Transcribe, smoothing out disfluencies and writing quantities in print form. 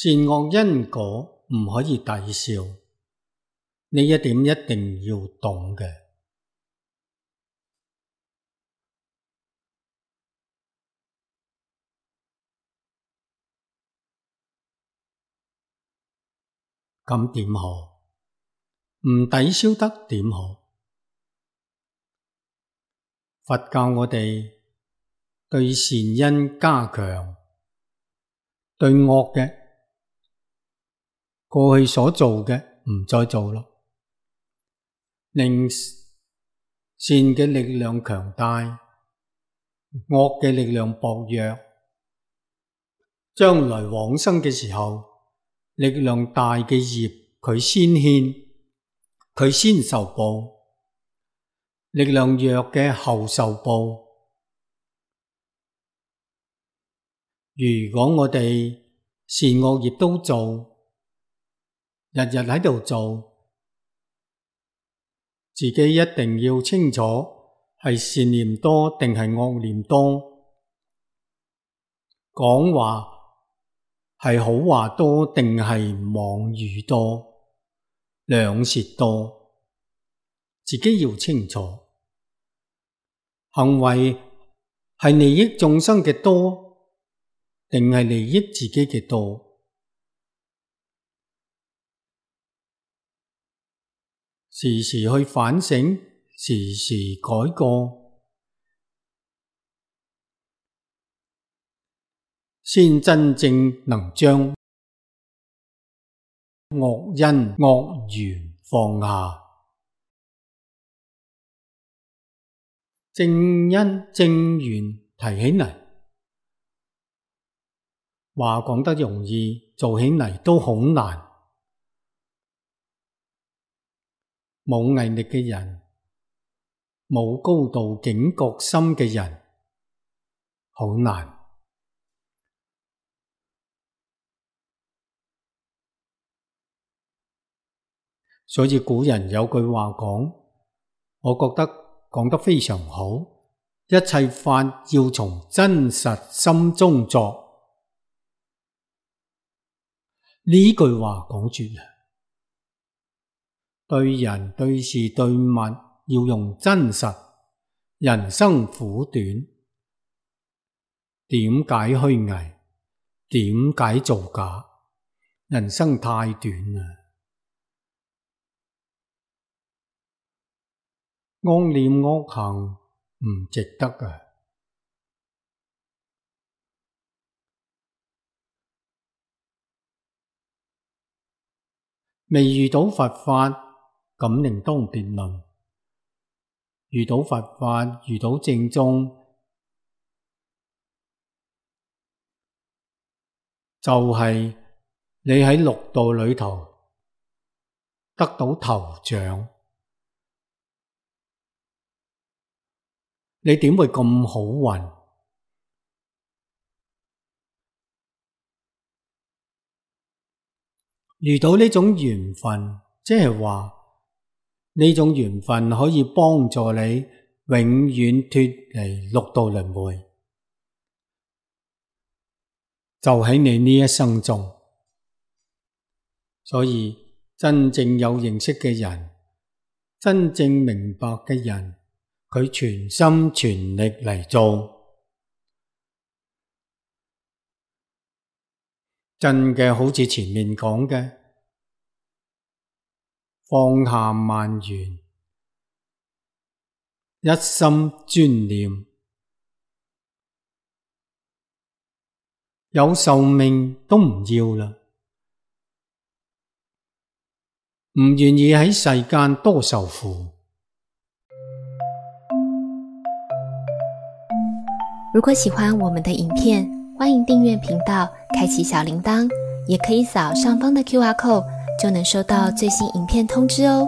善惡因果唔可以抵消，呢一點一定要懂嘅。咁點好？唔抵消得點好？佛教我哋對善因加強，對惡嘅過去所做嘅唔再做咯，令善嘅力量強大，惡嘅力量薄弱。將來往生嘅時候，力量大嘅業佢先牽，佢先受報；力量弱嘅後受報。如果我哋善惡業都做，日日喺度做，自己一定要清楚係善念多定係惡念多，講話係好話多定係妄語多，兩舌多，自己要清楚。行為係利益眾生嘅多定係利益自己嘅多？時時去反省，時時改過，先真正能將惡因惡緣放下，正因正緣提起嚟。話講得容易，做起嚟都好難。冇毅力嘅人，冇高度警覺心嘅人，好難。所以古人有句話講，我覺得講得非常好，一切法要從真實心中作。呢句話講絕啦。對人對事對物要用真實。人生苦短，點解虛偽？點解造假？人生太短啦。惡念惡行唔值得啊。未遇到佛法，咁另當別論。遇到佛法，遇到正宗，就係你喺六道裏頭得到頭獎，你點會咁好運？遇到呢種緣分，即係話呢種緣分可以幫助你永遠脫離六道輪迴，就喺你呢一生中。所以真正有認識嘅人，真正明白嘅人，佢全心全力嚟做，真嘅好似前面講嘅，放下萬緣，一心專念，有壽命都唔要啦，唔願意喺世間多受苦。如果喜歡我們的影片，歡迎訂閱頻道，開啟小鈴鐺，也可以掃上方的QR code，就能收到最新影片通知哦。